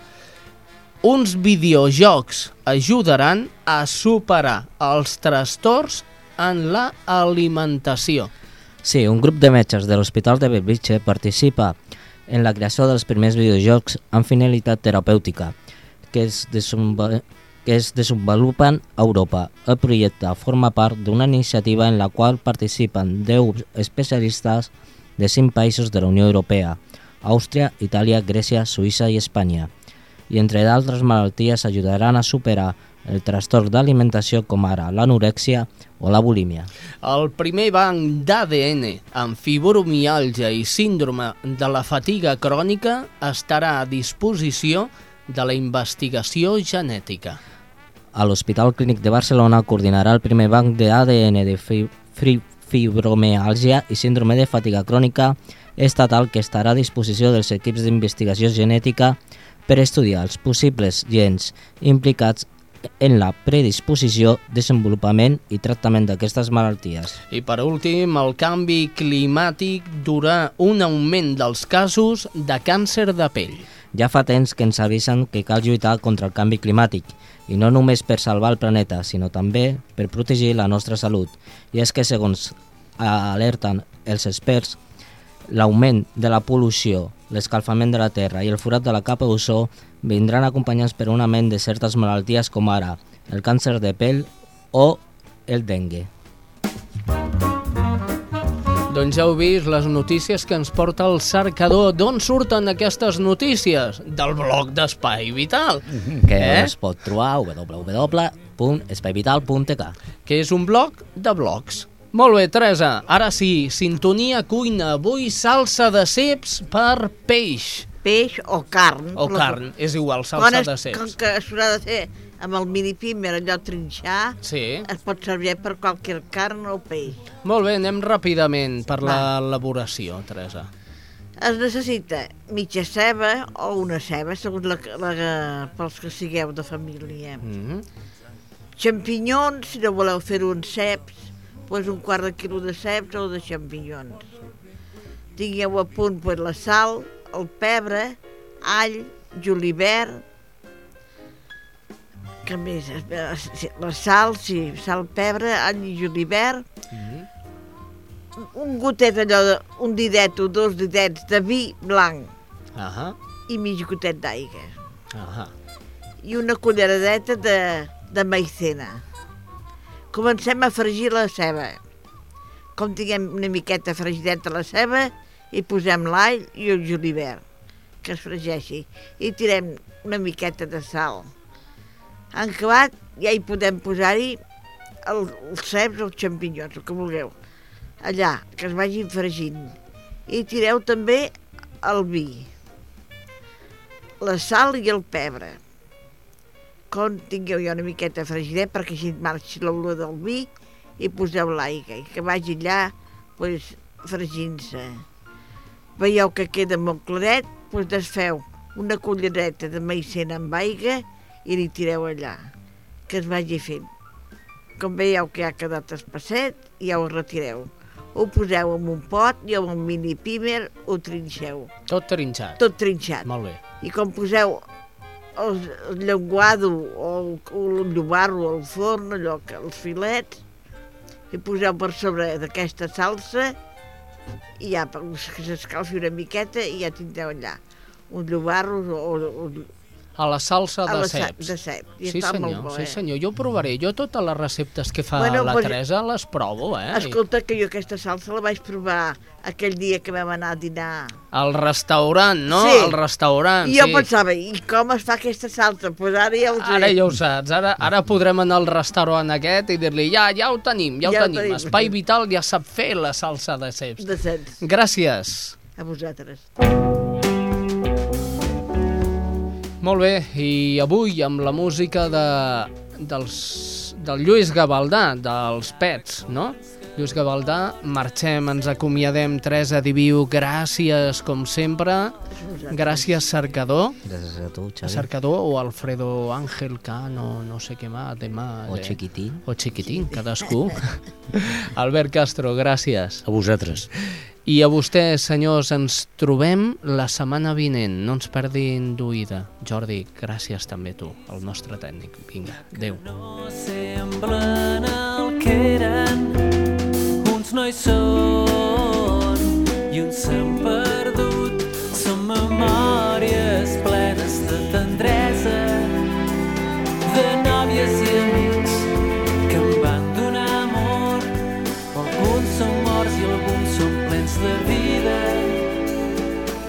uns videojocs ajudaran a superar els trastorns en la alimentació. Sí, un grup de metges de l'Hospital de Bellvitge participa en la creació dels primers videojocs amb finalitat terapèutica que es, desenva- que es desenvolupen a Europa. El projecte forma part d'una iniciativa en la qual participen deu especialistes de cinc països de la Unió Europea: Àustria, Itàlia, Grècia, Suïssa i Espanya. I entre d'altres malalties ajudaran a superar el trastorn d'alimentació com ara l'anorèxia o la bulímia. El primer banc d'A D N amb fibromiàlgia i síndrome de la fatiga crònica estarà a disposició de la investigació genètica. A l'Hospital Clínic de Barcelona coordinarà el primer banc de A D N de fi fi fibromiàlgia i síndrome de fatiga crònica estatal que estarà a disposició dels equips d'investigació genètica per estudiar els possibles gens implicats en la predisposició, desenvolupament i tractament d'aquestes malalties. I per últim, el canvi climàtic durà un augment dels casos de càncer de pell. Ja fa temps que ens avisen que cal lluitar contra el canvi climàtic, i no només per salvar el planeta, sinó també per protegir la nostra salut. I és que, segons alerten els experts, l'augment de la pol·lució, l'escalfament de la Terra i el forat de la capa d'ozó vindran acompanyats per un augment de certes malalties com ara el càncer de pell o el dengue. Doncs ja heu vist les notícies que ens porta el cercador. D'on surten aquestes notícies? Del blog d'Espai Vital. Que Eh? es pot trobar a w w w punt espai vital punt t k. Que és un blog de blogs. Molt bé, Teresa, ara sí, sintonia cuina. Avui salsa de ceps per peix. Peix o carn. O La- carn, és igual, salsa Quan es- de ceps. Com que s'haurà de fer amb el mini-pimer, allò trinxar, Sí. es pot servir per qualsevol carn o peix. Molt bé, anem ràpidament per l'elaboració, Teresa. Es necessita mitja ceba o una ceba, segons la, la, pels que sigueu de família. Mm-hmm. Xampinyons, si no voleu fer-ho en ceps, doncs un quart de quilo de ceps o de xampinyons. Tingueu a punt doncs, la sal, el pebre, all, julivert, que més? La sal, sí, sal, pebre, all i julivert, un gotet allò, de, un didet o dos didets de vi blanc Ahà, i mig gotet d'aigua. ahà. I una culleradeta de, de maicena. Comencem a fregir la ceba. Com tinguem una miqueta fregideta la ceba, hi posem l'all i el julivert, que es fregeixi. I tirem una miqueta de sal. En acabat, ja hi podem posar-hi el, els ceps o els xampinyons, el que vulgueu. Allà, que es vagin fregint. I tireu també el vi, la sal i el pebre. Com tingueu ja una miqueta fregidet perquè així marxi l'olor del vi i poseu l'aigua i que vagi allà pues, fregint-se. Veieu que queda molt claret, doncs desfeu una cullereta de maicena amb aigua i li tireu allà, que es vagi fent. Com veieu que ha quedat espesset, ja ho retireu. Ho poseu en un pot i amb un mini pimer ho trinxeu. Tot trinxat. Tot trinxat. Molt bé. I com poseu el, el llenguado o el, el llobarro al forn, allò que els filets, i poseu per sobre d'aquesta salsa i ja, que s'escalfi una miqueta i ja tindreu allà un llobarro o, o A la salsa A de la sa- ceps. de cep, i Sí, està molt senyor, bo, sí, eh? senyor. Jo ho provaré. Jo totes les receptes que fa Bueno, la pues- Teresa les provo, eh? Escolta, que jo aquesta salsa la vaig provar aquell dia que vam anar a dinar. Al restaurant, no? Sí. Al restaurant, I jo sí. pensava, i com es fa aquesta salsa? Doncs pues ara ja ho sé. Ara ja ho saps, ara, ara podrem anar al restaurant aquest i dir-li, ja, ja ho tenim, ja ho Ja ho tenim. tenim. Espai Vital ja sap fer la salsa de ceps. De ceps. Gràcies. A vosaltres. Molt bé, i avui amb la música de, dels, del Lluís Gavaldà, dels Pets, no? Lluís Gavaldà, marxem, ens acomiadem. Teresa Diviu, gràcies, com sempre. Gràcies, Cercador. Gràcies a tu, Xavi. Cercador o Alfredo Ángel Cano, no sé què más, demà. O Chiquitín. O Chiquitín, cadascú. Albert Castro, gràcies. A vosaltres. I a vostès, senyors, ens trobem la setmana vinent. No ens perdin d'oïda. Jordi, gràcies també tu, el nostre tècnic. Vinga, adéu. No semblen el que eren, uns no hi són i uns s'han perdut. Són memòries plenes de tendresa, de nòvies i amics que em van donar amor. Alguns són morts i alguns són plens de vida.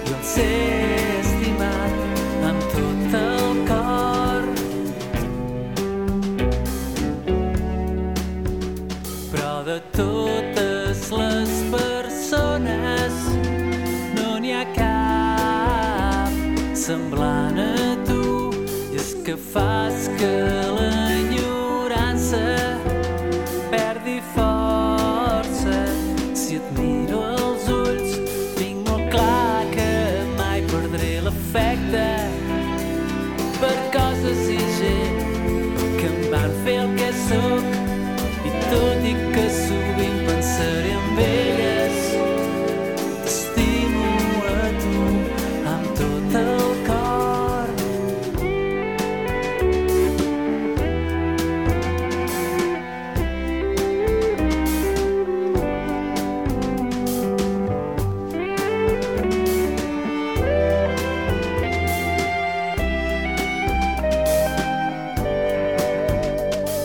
Jo els he estimat amb tot el cor, però de totes les persones no n'hi ha cap semblant a tu. I és que fas que l'enyorança perdi força. Si et miro als ulls tinc molt clar que mai perdré l'afecte per coses i gent que em van fer el que sóc. I tot i que sovint pensaré en elles, t'estimo a tu amb tot el cor.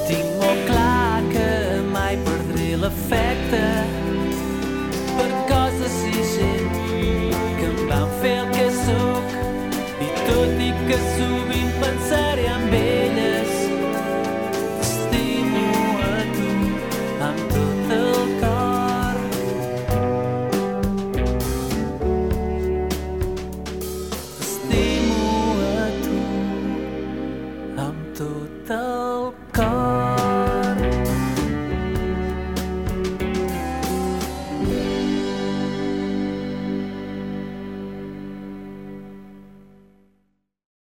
Tinc molt clar que mai perdré l'afecte per coses i gent que em van fer el que sóc. I tot i que sovint pensaré